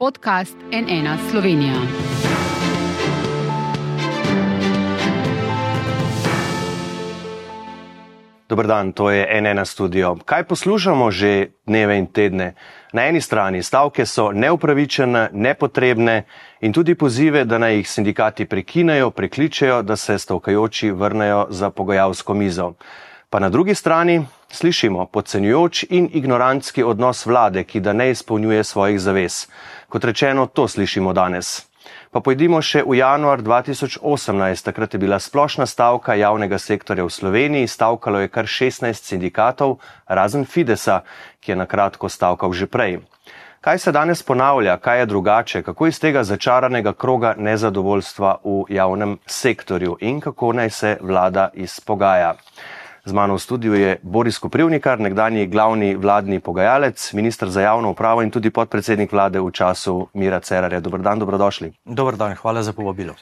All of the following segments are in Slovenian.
podcast N1 Slovenija. Dober dan, to je N1 studio. Kaj poslušamo že dneve in tedne? Na eni strani stavke so neupravičene, nepotrebne in tudi pozive, da naj jih sindikati prekinejo, prekličejo, da se stavkajoči vrnejo za pogajalsko mizo. Pa na drugi strani slišimo podcenjujoč in ignorantski odnos vlade, ki da ne izpolnjuje svojih zavez. Kot rečeno, to slišimo danes. Pa pojdimo še v januar 2018, takrat je bila splošna stavka javnega sektorja v Sloveniji, stavkalo je kar 16 sindikatov, razen Fidesa, ki je na kratko stavkal že prej. Kaj se danes ponavlja, kaj je drugače, kako iz tega začaranega kroga nezadovoljstva v javnem sektorju in kako naj se vlada izpogaja? Z mano v studiu je Boris Koprivnikar, nekdanji glavni vladni pogajalec, minister za javno upravo in tudi podpredsednik vlade v času Mira Cerarja. Dober dan, dobrodošli. Dober dan, hvala za povabilo.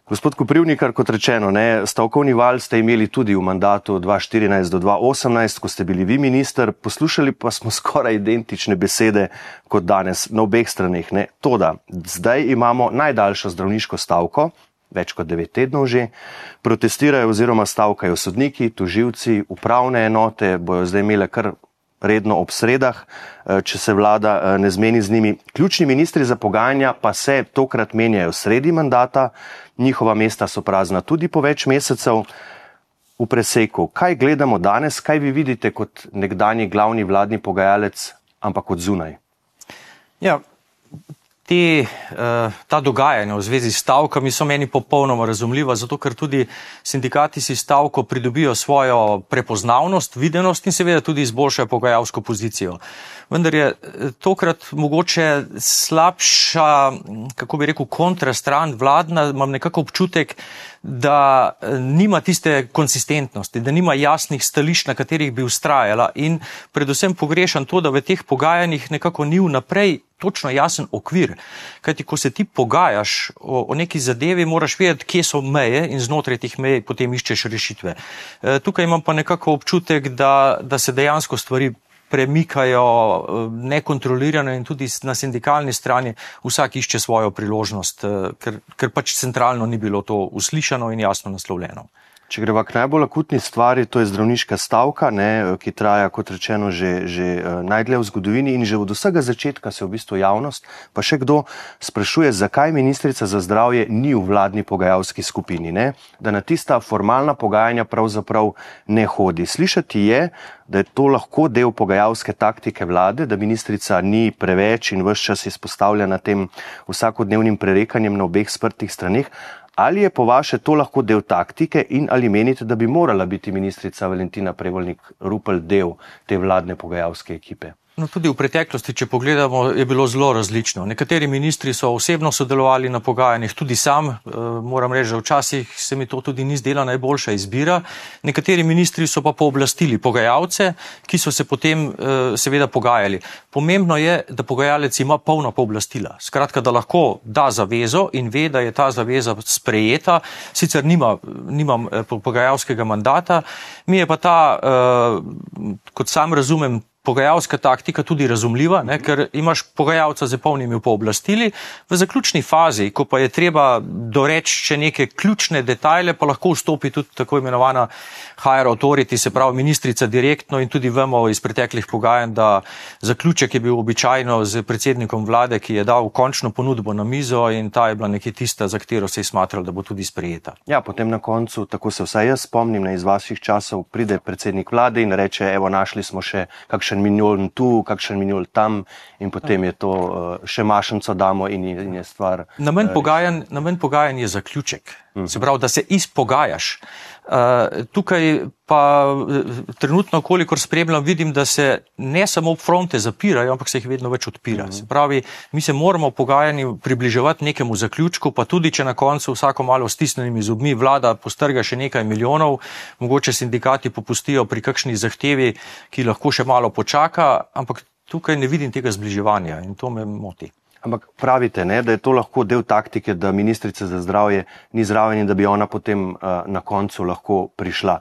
Gospod Koprivnikar, kot rečeno, stavkovni val ste imeli tudi v mandatu 2014 do 2018, ko ste bili vi minister, poslušali pa smo skoraj identične besede kot danes na obeh straneh. Toda, zdaj imamo najdaljšo zdravniško stavko, več kot 9 tednov že, protestirajo oziroma stavkajo sodniki, tožilci, upravne enote, bojo zdaj imele kar redno ob sredah, če se vlada ne zmeni z njimi. Ključni ministri za pogajanja pa se tokrat menjajo sredi mandata, njihova mesta so prazna tudi po več mesecev. V preseku, kaj gledamo danes, kaj vi vidite kot nekdanji glavni vladni pogajalec, ampak od zunaj? Ja, ta dogajanja v zvezi s stavkami so meni popolnoma razumljiva, zato ker tudi sindikati si stavko pridobijo svojo prepoznavnost, videnost in seveda tudi izboljšajo pogajalsko pozicijo. Vendar je tokrat mogoče slabša, kako bi rekel, kontrastran vladna, imam nekako občutek, da nima tiste konsistentnosti, da nima jasnih stališč, na katerih bi vztrajala in predvsem pogrešam to, da v teh pogajanjih nekako ni vnaprej točno jasen okvir. Kajti, ko se ti pogajaš o neki zadevi, moraš vedeti, kje so meje in znotraj teh mej potem iščeš rešitve. Tukaj imam pa nekako občutek, da se dejansko stvari premikajo nekontrolirano in tudi na sindikalni strani vsak išče svojo priložnost, ker pač centralno ni bilo to uslišano in jasno naslovljeno. Če greva k najbolj akutni stvari, to je zdravniška stavka, ki traja, kot rečeno, že najdlje v zgodovini in že od vsega začetka se v bistvu javnost, pa še kdo sprašuje, zakaj ministrica za zdravje ni v vladni pogajalski skupini, da na tista formalna pogajanja pravzaprav ne hodi. Slišati je, da je to lahko del pogajalske taktike vlade, da ministrica ni preveč in ves čas izpostavljena tem vsakodnevnim prerekanjem na obeh sprtih straneh. Ali je po vaše to lahko del taktike in ali menite, da bi morala biti ministrica Valentina Prevolnik Rupel del te vladne pogajalske ekipe? No, tudi v preteklosti, če pogledamo, je bilo zelo različno. Nekateri ministri so osebno sodelovali na pogajanjih, tudi sam, moram reči, da včasih se mi to tudi ni zdela najboljša izbira. Nekateri ministri so pa pooblastili pogajalce, ki so se potem seveda pogajali. Pomembno je, da pogajalec ima polna pooblastila. Skratka, da lahko da zavezo in ve, da je ta zaveza sprejeta, sicer nimam pogajalskega mandata, mi je pa ta, kot sam razumem, pogajalska taktika tudi razumljiva, ker imaš pogajalca z polnimi pooblastili. V zaključni fazi, ko pa je treba doreči še neke ključne detajle, pa lahko vstopi tudi tako imenovana higher authority, se pravi ministrica direktno in tudi vemo iz preteklih pogajanj, da zaključek je bil običajno z predsednikom vlade, ki je dal končno ponudbo na mizo in ta je bila nekje tista, za katero se je smatralo, da bo tudi sprejeta. Ja, potem na koncu, tako se vsaj jaz spomnim, iz vaših časov pride predsednik vlade in reče, evo, našli smo še kakšen milijon tu, kakšen milijon tam in potem je to še mašnico damo in je stvar. Namen pogajanj je zaključek. Se pravi, da se izpogajaš. Tukaj pa trenutno, kolikor spremljam, vidim, da se ne samo fronte zapirajo, ampak se jih vedno več odpira. Se pravi, mi se moramo pogajanju približevati nekemu zaključku, pa tudi, če na koncu vsako malo stisnenimi zobmi vlada postrga še nekaj milijonov, mogoče sindikati popustijo pri kakšni zahtevi, ki lahko še malo počaka, ampak tukaj ne vidim tega zbliževanja in to me moti. Ampak pravite, da je to lahko del taktike, da ministrica za zdravje ni zraven in da bi ona potem na koncu lahko prišla.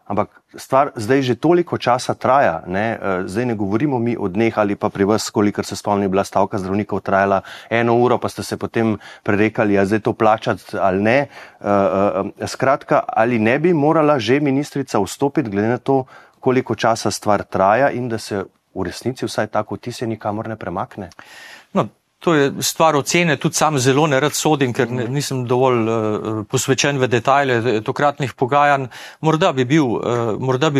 ampak stvar zdaj že toliko časa traja, ne? Zdaj ne govorimo mi o dneh ali pa pri vas, kolikor se spomni, bila stavka zdravnikov trajala 1 uro, pa ste se potem prerekali, a zdaj to plačati ali ne. Skratka, ali ne bi morala že ministrica vstopiti, glede na to, koliko časa stvar traja in da se v resnici vsaj tako vtis nikamor ne premakne? No, to je stvar ocene, tudi sam zelo nerad sodim, ker nisem dovolj posvečen v detajle tokratnih pogajanj. Morda bi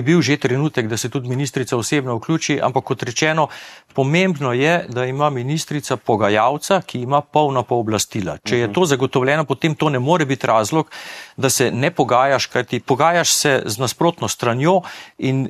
bil že trenutek, da se tudi ministrica osebno vključi, ampak kot rečeno, pomembno je, da ima ministrica pogajalca, ki ima polna pooblastila. Če je to zagotovljeno, potem to ne more biti razlog, da se ne pogajaš, kajti pogajaš se z nasprotno stranjo in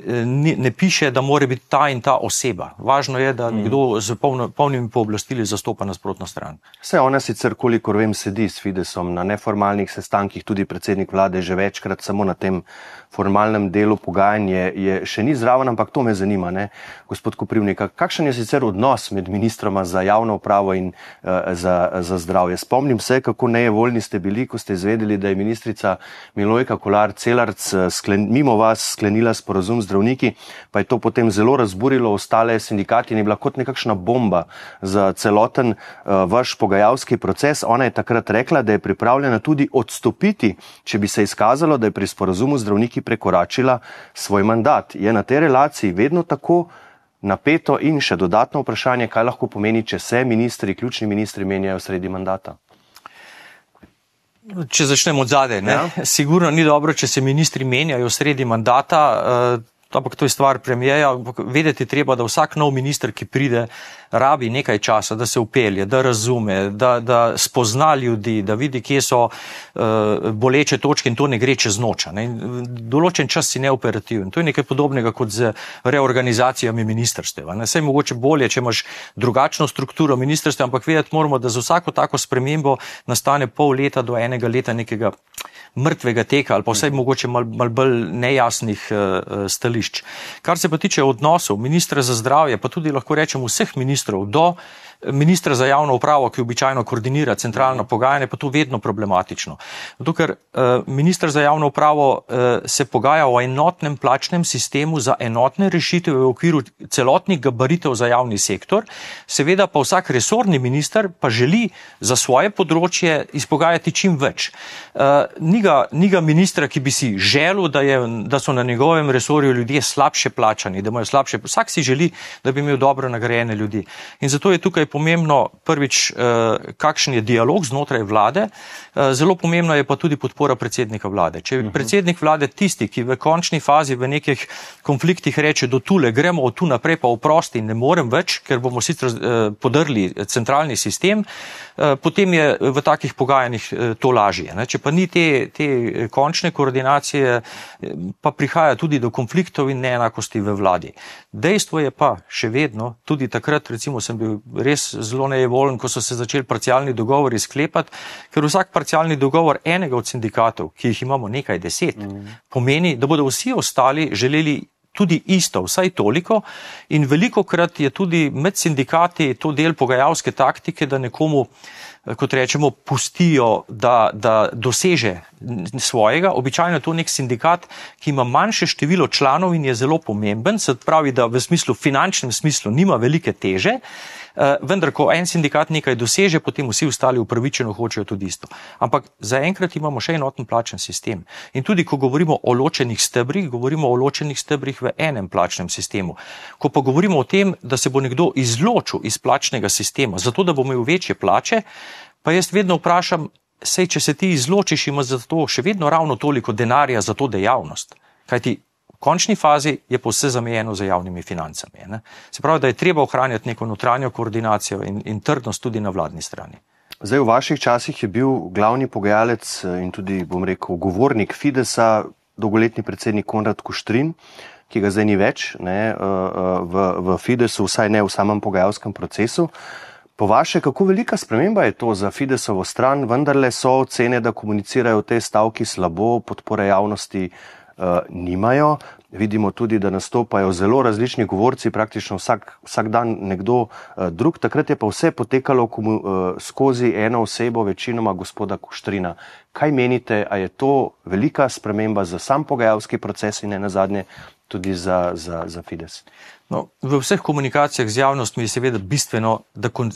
ne piše, da mora biti ta in ta oseba. Važno je, da nekdo z polnimi pooblastili zastopa nasprotno stran. Vse ona sicer, kolikor vem, sedi s Fidesom na neformalnih sestankih, tudi predsednik vlade že večkrat, samo na tem formalnem delu pogajanja je še ni zraven, ampak to me zanima, ne? Gospod Koprivnik, kakšen je sicer odnos med ministroma za javno upravo in za zdravje? Spomnim se, kako nejevoljni ste bili, ko ste izvedeli, da je ministrica Milojka Kolar Celarc mimo vas sklenila sporazum z zdravniki, pa je to potem zelo razburilo ostale sindikati in je bila kot nekakšna bomba za celoten vaš pogajalski proces. Ona je takrat rekla, da je pripravljena tudi odstopiti, če bi se izkazalo, da je pri sporazumu zdravniki prekoračila svoj mandat. Je na tej relaciji vedno tako napeto in še dodatno vprašanje, kaj lahko pomeni, če se ministri, ključni ministri menjajo sredi mandata? Če začnemo od zadaj, ne? Ja. Sigurno ni dobro, če se ministri menjajo sredi mandata, ampak to je stvar premijeja. Vedeti treba, da vsak nov minister, ki pride, rabi nekaj časa, da se upelje, da razume, da spozna ljudi, da vidi, kje so boleče točke in to ne gre čez noč. Določen čas si neoperativen. To je nekaj podobnega kot z reorganizacijami ministrstev. Saj mogoče bolje, če imaš drugačno strukturo ministrstev, ampak vedeti moramo, da za vsako tako spremembo nastane pol leta do 1 leta nekega mrtvega teka ali pa vsaj mogoče malo bolj nejasnih stališč. Kar se pa tiče odnosov ministra za zdravje, pa tudi lahko rečem vseh ministrov do ministra za javno upravo, ki običajno koordinira centralno pogajanje, pa to vedno problematično. Zato, ker minister za javno upravo se pogaja o enotnem plačnem sistemu za enotne rešitve v okviru celotnih gabaritev za javni sektor, seveda pa vsak resorni minister pa želi za svoje področje izpogajati čim več. Ni ga ministra, ki bi si želel, da so na njegovem resorju ljudje slabše plačani, da imajo slabše. Vsak si želi, da bi imel dobro nagrajene ljudi. In zato je tukaj pomembno prvič, kakšen je dialog znotraj vlade, zelo pomembno je pa tudi podpora predsednika vlade. Če je predsednik vlade tisti, ki v končni fazi v nekih konfliktih reče, do tule gremo od tu naprej pa oprosti, ne morem več, ker bomo sicer podrli centralni sistem, potem je v takih pogajanjih to lažje. Če pa ni te končne koordinacije, pa prihaja tudi do konfliktov in neenakosti v vladi. Dejstvo je pa še vedno, tudi takrat recimo sem bil res zelo nejevoljen, ko so se začeli parcialni dogovori sklepati, ker vsak parcialni dogovor enega od sindikatov, ki jih imamo nekaj 10, pomeni, da bodo vsi ostali želeli tudi isto, vsaj toliko, in velikokrat je tudi med sindikati to del pogajalske taktike, da nekomu, kot rečemo, pustijo, da doseže svojega. Običajno je to nek sindikat, ki ima manjše število članov in je zelo pomemben, se pravi, da v finančnem smislu nima velike teže, vendar, ko en sindikat nekaj doseže, potem vsi ostali upravičeno hočejo tudi isto. Ampak zaenkrat imamo še enoten plačen sistem. In tudi, ko govorimo o ločenih stebrih, govorimo o ločenih stebrih v enem plačnem sistemu. Ko pa govorimo o tem, da se bo nekdo izločil iz plačnega sistema, zato da bo imel večje plače, pa jaz vedno vprašam, sej, če se ti izločiš, ima za to še vedno ravno toliko denarja za to dejavnost. Kajti v končni fazi je pa vse zamejeno za javnimi financami. Ne? Se pravi, da je treba ohranjati neko notranjo koordinacijo in trdnost tudi na vladni strani. Zdaj, v vaših časih je bil glavni pogajalec in tudi, bom rekel, govornik Fidesa, dolgoletni predsednik Konrad Kuštrin, ki ga zdaj ni več, ne, v Fidesu, vsaj ne v samem pogajalskem procesu. Po vaše, kako velika sprememba je to za Fidesovo stran? Vendarle so ocene, da komunicirajo v tej stavki slabo, podpore javnosti nimajo. Vidimo tudi, da nastopajo zelo različni govorci, praktično vsak dan nekdo drug. Takrat je pa vse potekalo skozi eno osebo, večinoma gospoda Kuštrina. Kaj menite, a je to velika sprememba za sam pogajalski proces in ne nazadnje tudi za Fides? No, v vseh komunikacijah z javnostmi je seveda bistveno,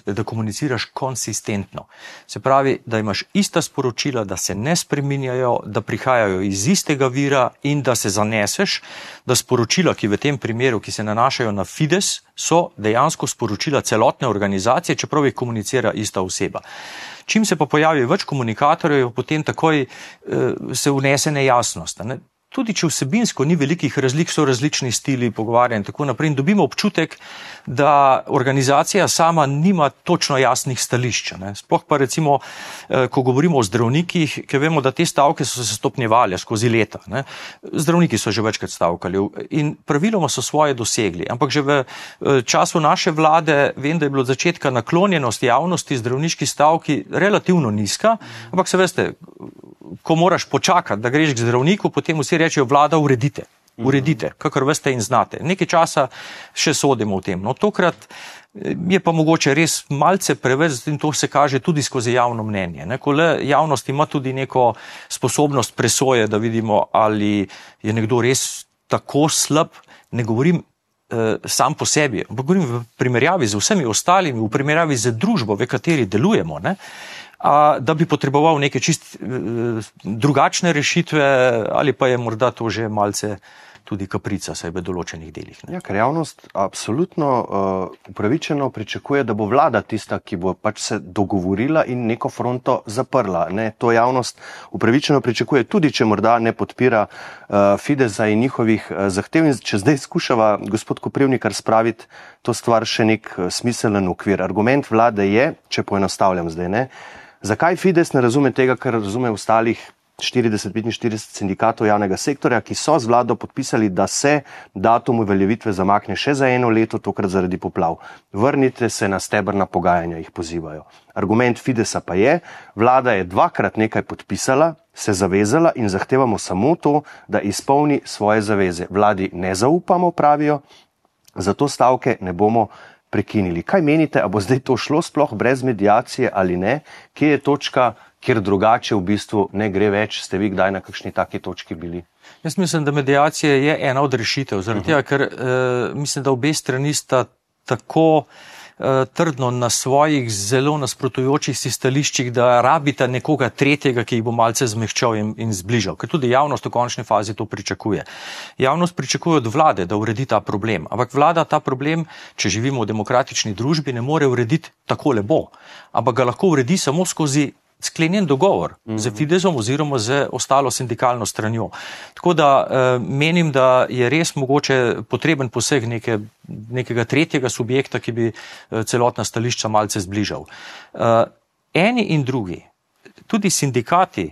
da komuniciraš konsistentno. Se pravi, da imaš ista sporočila, da se ne spreminjajo, da prihajajo iz istega vira in da se zaneseš, da sporočila, ki v tem primeru, ki se nanašajo na Fides, so dejansko sporočila celotne organizacije, čeprav jih komunicira ista oseba. Čim se pa pojavi več komunikatorjev, potem takoj se vnese nejasnost. Ne? Tudi če vsebinsko ni velikih razlik, so različni stili pogovarjanja in tako naprej. In dobimo občutek, da organizacija sama nima točno jasnih stališč. Sploh pa recimo, ko govorimo o zdravnikih, ker vemo, da te stavke so se stopnjevale skozi leta. Zdravniki so že večkrat stavkali in praviloma so svoje dosegli. Ampak že v času naše vlade vem, da je bilo od začetka naklonjenost javnosti zdravniški stavki relativno nizka, ampak se veste, ko moraš počakati, da greš k zdravniku, potem vsi rečejo, vlada, uredite, kakor veste in znate. Nekaj časa še sodimo v tem. No, tokrat je pa mogoče res malce preveč in to se kaže tudi skozi javno mnenje. Ko le javnost ima tudi neko sposobnost presoje, da vidimo, ali je nekdo res tako slab, ne govorim sam po sebi, ampak govorim v primerjavi z vsemi ostalimi, v primerjavi z družbo, v kateri delujemo, da bi potreboval neke čist drugačne rešitve ali pa je morda to že malce tudi kaprica, saj v določenih delih. Ja, ker javnost absolutno upravičeno pričakuje, da bo vlada tista, ki bo pač se dogovorila in neko fronto zaprla. To javnost upravičeno pričakuje, tudi če morda ne podpira Fidesa in njihovih zahtev. In če zdaj skušava gospod Koprivnikar spraviti to stvar še nek smiselen okvir. Argument vlade je, če poenostavljam zdaj, zakaj Fides ne razume tega, kar razume ostalih 40-45 sindikatov javnega sektorja, ki so z vlado podpisali, da se datum uveljavitve zamakne še za 1 leto, tokrat zaradi poplav. Vrnite se na stebrna pogajanja, jih pozivajo. Argument Fidesa pa je, vlada je 2-krat nekaj podpisala, se zavezala in zahtevamo samo to, da izpolni svoje zaveze. Vladi ne zaupamo, pravijo, zato stavke ne bomo prekinili. Kaj menite, a bo zdaj to šlo sploh brez mediacije ali ne? Kje je točka, kjer drugače v bistvu ne gre več? Ste vi kdaj na kakšni taki točki bili? Jaz mislim, da mediacija je ena od rešitev, zaradi tega, ker mislim, da obe strani sta tako trdno na svojih zelo nasprotujočih si stališčih, da rabita nekoga tretjega, ki jih bo malce zmehčal in zbližal. Ker tudi javnost v končni fazi to pričakuje. Javnost pričakuje od vlade, da uredi ta problem. Ampak vlada ta problem, če živimo v demokratični družbi, ne more urediti tako lepo. Ampak ga lahko uredi samo skozi sklenjen dogovor z Fidesom oziroma z ostalo sindikalno stranjo. Tako da menim, da je res mogoče potreben poseg nekega tretjega subjekta, ki bi celotna stališča malce zbližal. Eni in drugi, tudi sindikati,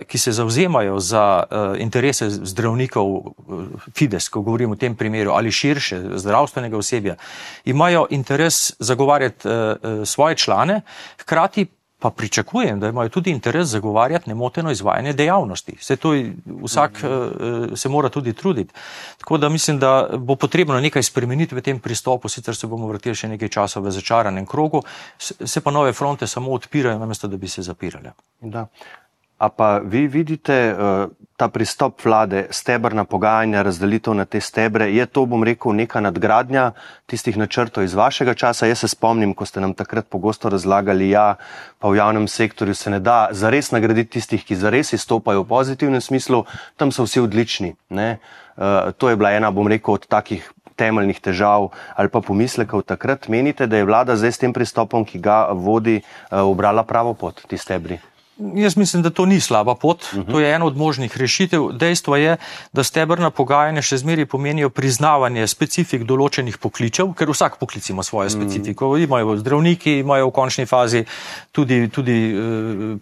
ki se zavzemajo za interese zdravnikov Fides, ko govorim o tem primeru, ali širše zdravstvenega osebja, imajo interes zagovarjati svoje člane, hkrati pa pričakujem, da imajo tudi interes zagovarjati nemoteno izvajanje dejavnosti. Vsak se mora tudi truditi. Tako da mislim, da bo potrebno nekaj spremeniti v tem pristopu, sicer se bomo vrteli še nekaj časa v začaranem krogu, se pa nove fronte samo odpirajo, namesto da bi se zapirale. Da. A pa vi vidite ta pristop vlade, stebrna pogajanja, razdelitev na te stebre, je to, bom rekel, neka nadgradnja tistih načrtov iz vašega časa? Jaz se spomnim, ko ste nam takrat pogosto razlagali, pa v javnem sektorju se ne da zares nagraditi tistih, ki zares izstopajo v pozitivnem smislu, tam so vsi odlični. To je bila ena, bom rekel, od takih temeljnih težav ali pa pomislekov takrat. Menite, da je vlada zdaj s tem pristopom, ki ga vodi, ubrala pravo pot, ti stebri? Jaz mislim, da to ni slaba pot, to je ena od možnih rešitev. Dejstvo je, da stebrna pogajanja še zmeraj pomenijo priznavanje specifik določenih poklicev, ker vsak poklic ima svojo specifiko. Imajo zdravniki, imajo v končni fazi tudi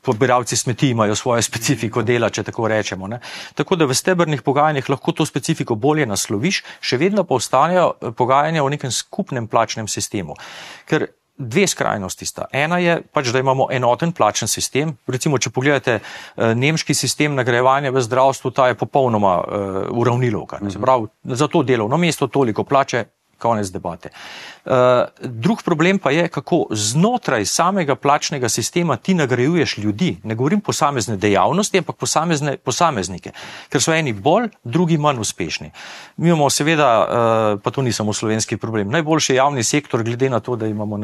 pobiralci smeti imajo svojo specifiko dela, če tako rečemo. Tako da v stebrnih pogajanjih lahko to specifiko bolje nasloviš, še vedno pa ostanejo pogajanja o nekem skupnem plačnem sistemu. Ker dve skrajnosti sta. Ena je pač, da imamo enoten plačen sistem. Recimo, če pogledate nemški sistem nagrajevanja v zdravstvu, ta je popolnoma uravnilovka. Se pravi, za to delovno mesto toliko plače, konec debate. Drug problem pa je, kako znotraj samega plačnega sistema ti nagrajuješ ljudi. Ne govorim posamezne dejavnosti, ampak posameznike, ker so eni bolj, drugi manj uspešni. Mi imamo seveda, pa to ni samo slovenski problem, najboljši javni sektor, glede na to, da imamo,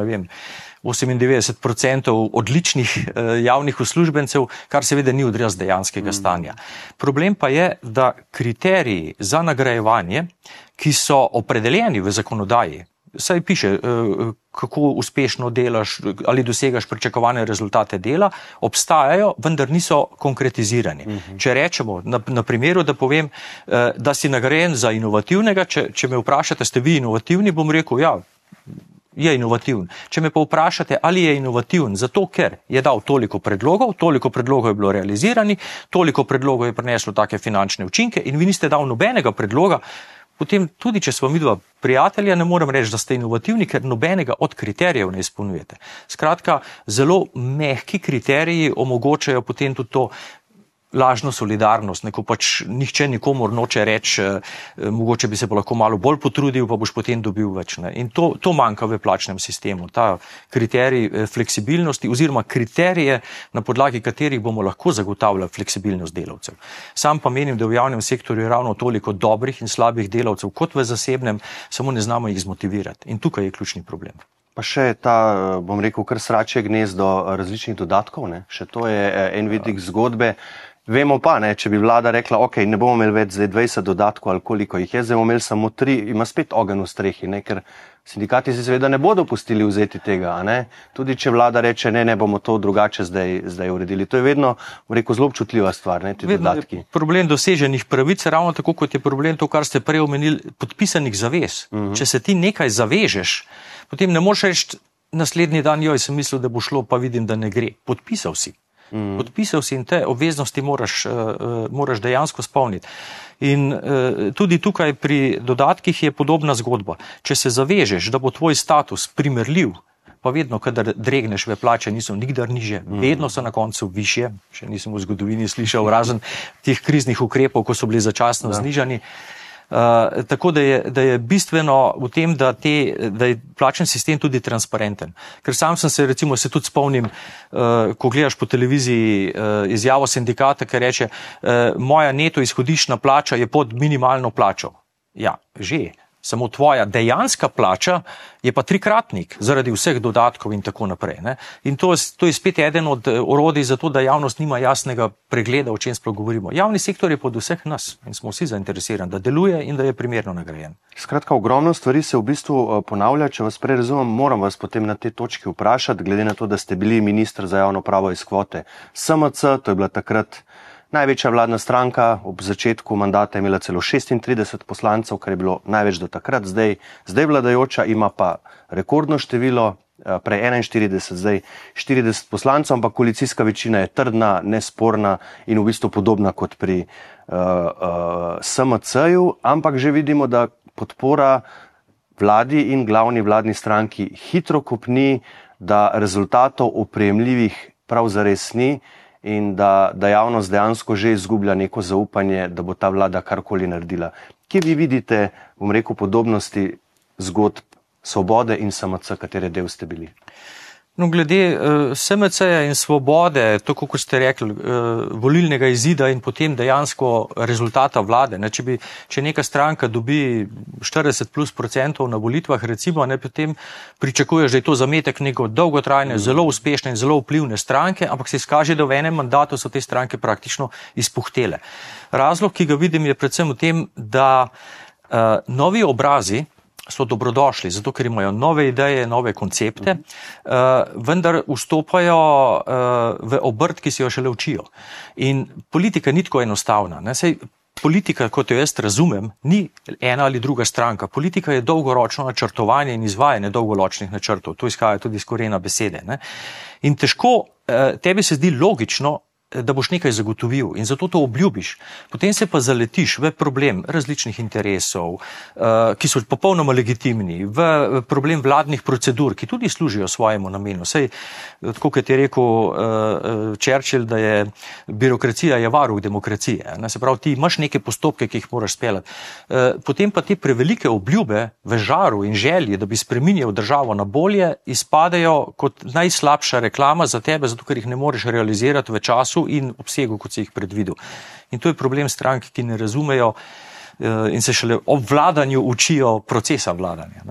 98% odličnih javnih uslužbencev, kar seveda ni odraz dejanskega stanja. Problem pa je, da kriteriji za nagrajevanje, ki so opredeljeni v zakonodaji, saj piše, kako uspešno delaš ali dosegaš pričakovane rezultate dela, obstajajo, vendar niso konkretizirani. Če rečemo, na primeru, da povem, da si nagrajen za inovativnega, če me vprašate, ste vi inovativni, bom rekel, ja, je inovativen. Če me pa vprašate, ali je inovativen, zato ker je dal toliko predlogov je bilo realizirani, toliko predlogov je prineslo take finančne učinke in vi niste dal nobenega predloga, potem tudi, če smo midva prijatelja, ne morem reči, da ste inovativni, ker nobenega od kriterijev ne izpolnjujete. Skratka, zelo mehki kriteriji omogočajo potem tudi to lažno solidarnost, neko pač nihče nikomor noče reči, mogoče bi se pa lahko malo bolj potrudil, pa boš potem dobil več. Ne? In to manjka v plačnem sistemu, ta kriterij fleksibilnosti oziroma kriterije, na podlagi katerih bomo lahko zagotavljali fleksibilnost delavcev. Sam pa menim, da v javnem sektorju je ravno toliko dobrih in slabih delavcev kot v zasebnem, samo ne znamo jih zmotivirati. In tukaj je ključni problem. Pa še ta, bom rekel, kar sračje gnezdo različnih dodatkov, ne? Še to je en vidik zgodbe. Vemo pa, ne, če bi vlada rekla, ok, ne bomo imeli več zdaj 20 dodatkov ali koliko jih je, zdaj bomo imeli samo 3, ima spet ogenj v strehi, ne, ker sindikati si seveda ne bodo pustili vzeti tega, ne, tudi če vlada reče, ne, bomo to drugače zdaj uredili. To je vedno, rekel, zelo občutljiva stvar, ne, ti dodatki. Problem doseženih pravic, ravno tako kot je problem to, kar ste prej omenili, podpisanih zavez. Če se ti nekaj zavežeš, potem ne moreš reči naslednji dan, joj, sem mislil, da bo šlo, pa vidim, da ne gre. Podpisal si. Podpisal si in te obveznosti moraš dejansko spolniti. In tudi tukaj pri dodatkih je podobna zgodba. Če se zavežeš, da bo tvoj status primerljiv, pa vedno, kadar dregneš v plače, niso nikdar niže, vedno so na koncu višje, še nisem v zgodovini slišal, razen teh kriznih ukrepov, ko so bili začasno znižani. Tako da je bistveno v tem, da je plačen sistem tudi transparenten. Ker sam sem se, recimo, se tudi spomnim, ko gledaš po televiziji izjavo sindikata, ki reče, moja neto izhodiščna plača je pod minimalno plačo. Ja, že. Samo tvoja dejanska plača je pa trikratnik zaradi vseh dodatkov in tako naprej. Ne? In to je spet eden od orodij za to, da javnost nima jasnega pregleda, o čem sploh govorimo. Javni sektor je pod vseh nas in smo vsi zainteresirani, da deluje in da je primerno nagrajen. Skratka, ogromno stvari se v bistvu ponavlja. Če vas prej razumem, moram vas potem na te točki vprašati, glede na to, da ste bili minister za javno pravo iz kvote SMC, to je bila takrat največja vladna stranka, ob začetku mandata je imela celo 36 poslancev, kar je bilo največ do takrat, zdaj vladajoča ima pa rekordno število, prej 41, zdaj 40 poslancev, ampak koalicijska večina je trdna, nesporna in v bistvu podobna kot pri SMC-ju, ampak že vidimo, da podpora vladi in glavni vladni stranki hitro kopni, da rezultatov opremljivih prav zares ni, in da javnost dejansko že izgublja neko zaupanje, da bo ta vlada karkoli naredila. Kje vi vidite, bom rekel, podobnosti zgodb Svobode in SMC, katere del ste bili? No, glede SMC-ja in Svobode, tako kot ste rekli, volilnega izida in potem dejansko rezultata vlade. Ne, če neka stranka dobi 40+% na volitvah, recimo, ne, potem pričakuješ, da je to zametek neko dolgotrajne, zelo uspešne in zelo vplivne stranke, ampak se izkaže, da v enem mandatu so te stranke praktično izpuhtele. Razlog, ki ga vidim, je predvsem v tem, da novi obrazi so dobrodošli, zato ker imajo nove ideje, nove koncepte, vendar vstopajo v obrt, ki si jo šele učijo. In politika ni tako enostavna. Ne? Sej politika, kot jo jaz razumem, ni ena ali druga stranka. Politika je dolgoročno načrtovanje in izvajanje dolgoročnih načrtov. To izhaja tudi iz korena besede. Ne? In težko, tebi se zdi logično, da boš nekaj zagotovil in zato to obljubiš. Potem se pa zaletiš v problem različnih interesov, ki so popolnoma legitimni, v problem vladnih procedur, ki tudi služijo svojemu namenu. Sej, tako kot je rekel Churchill, da je birokracija je varuh demokracije. Se pravi, ti imaš neke postopke, ki jih moraš speljati. Potem pa te prevelike obljube v žaru in želji, da bi spreminjal državo na bolje, izpadejo kot najslabša reklama za tebe, zato ker jih ne moreš realizirati v času in obsegu, kot si jih predvidel. In to je problem strank, ki ne razumejo in se šele ob vladanju učijo procesa vladanja.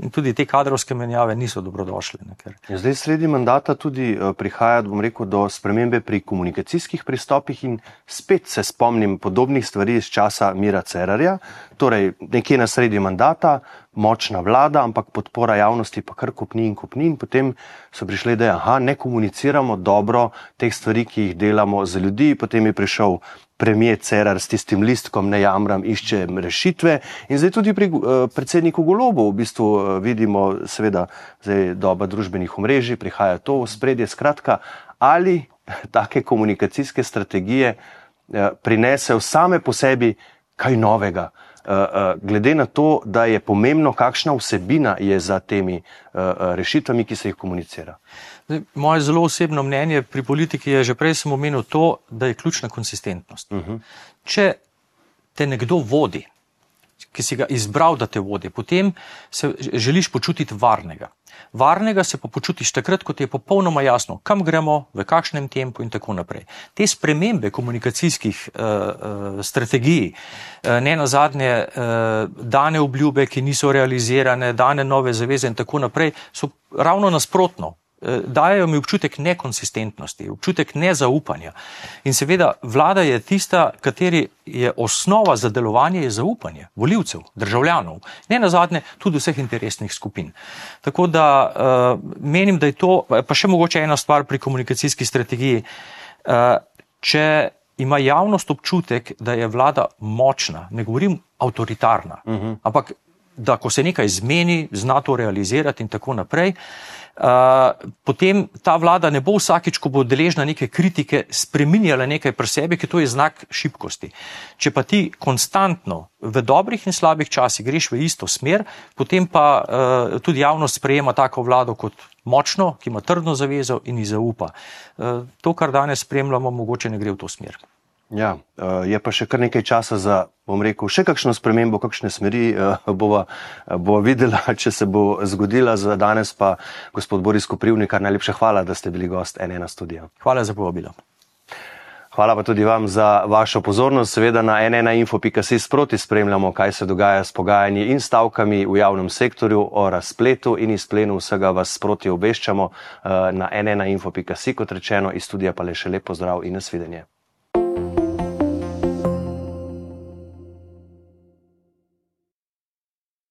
In tudi te kadrovske menjave niso dobrodošle. Zdaj sredi mandata tudi prihaja, bom rekel, do spremembe pri komunikacijskih pristopih in spet se spomnim podobnih stvari iz časa Mira Cerarja, torej nekje na sredi mandata, močna vlada, ampak podpora javnosti pa kar kopni in potem so prišli, da ne komuniciramo dobro teh stvari, ki jih delamo za ljudi, potem je prišel premier Cerar s tistim listkom ne jamram, išče rešitve in zdaj tudi pri predsedniku Golobu v bistvu vidimo seveda zdaj doba družbenih omrežij, prihaja to v spredje, skratka, ali take komunikacijske strategije prinesejo same po sebi kaj novega, glede na to, da je pomembno, kakšna vsebina je za temi rešitvami, ki se jih komunicira. Moje zelo osebno mnenje pri politiki je, že prej sem omenil to, da je ključna konsistentnost. Če te nekdo vodi, ki si ga izbral, da te vodi, potem se želiš počutiti varnega. Varnega se pa počutiš takrat, ko ti je popolnoma jasno, kam gremo, v kakšnem tempu in tako naprej. Te spremembe komunikacijskih strategij, ne nazadnje dane obljube, ki niso realizirane, dane nove zaveze in tako naprej, so ravno nasprotno. Dajejo mi občutek nekonsistentnosti, občutek nezaupanja. In seveda vlada je tista, kateri je osnova za delovanje je zaupanje volivcev, državljanov, ne nazadnje tudi vseh interesnih skupin. Tako da menim, da je to, pa še mogoče ena stvar pri komunikacijski strategiji, če ima javnost občutek, da je vlada močna, ne govorim avtoritarna, ampak da ko se nekaj zmeni, zna to realizirati in tako naprej, potem ta vlada ne bo vsakič, ko bo deležna neke kritike, spreminjala nekaj pri sebi, ki to je znak šibkosti. Če pa ti konstantno v dobrih in slabih časih greš v isto smer, potem pa tudi javnost sprejema tako vlado kot močno, ki ima trdno zavezo in ji zaupa. To, kar danes spremljamo, mogoče ne gre v to smer. Ja, je pa še kar nekaj časa za, bom rekel, še kakšno spremembo, kakšne smeri bova videla, če se bo zgodila. Za danes pa gospod Boris Koprivnikar, najlepša hvala, da ste bili gost N1 studia. Hvala za povabilo. Hvala pa tudi vam za vašo pozornost. Seveda na n1info.si sproti spremljamo, kaj se dogaja s pogajanji in stavkami v javnem sektorju, o razpletu in izplenu vsega vas sproti obveščamo na n1info.si, kot rečeno, iz studija pa le še lep pozdrav in nasvidenje.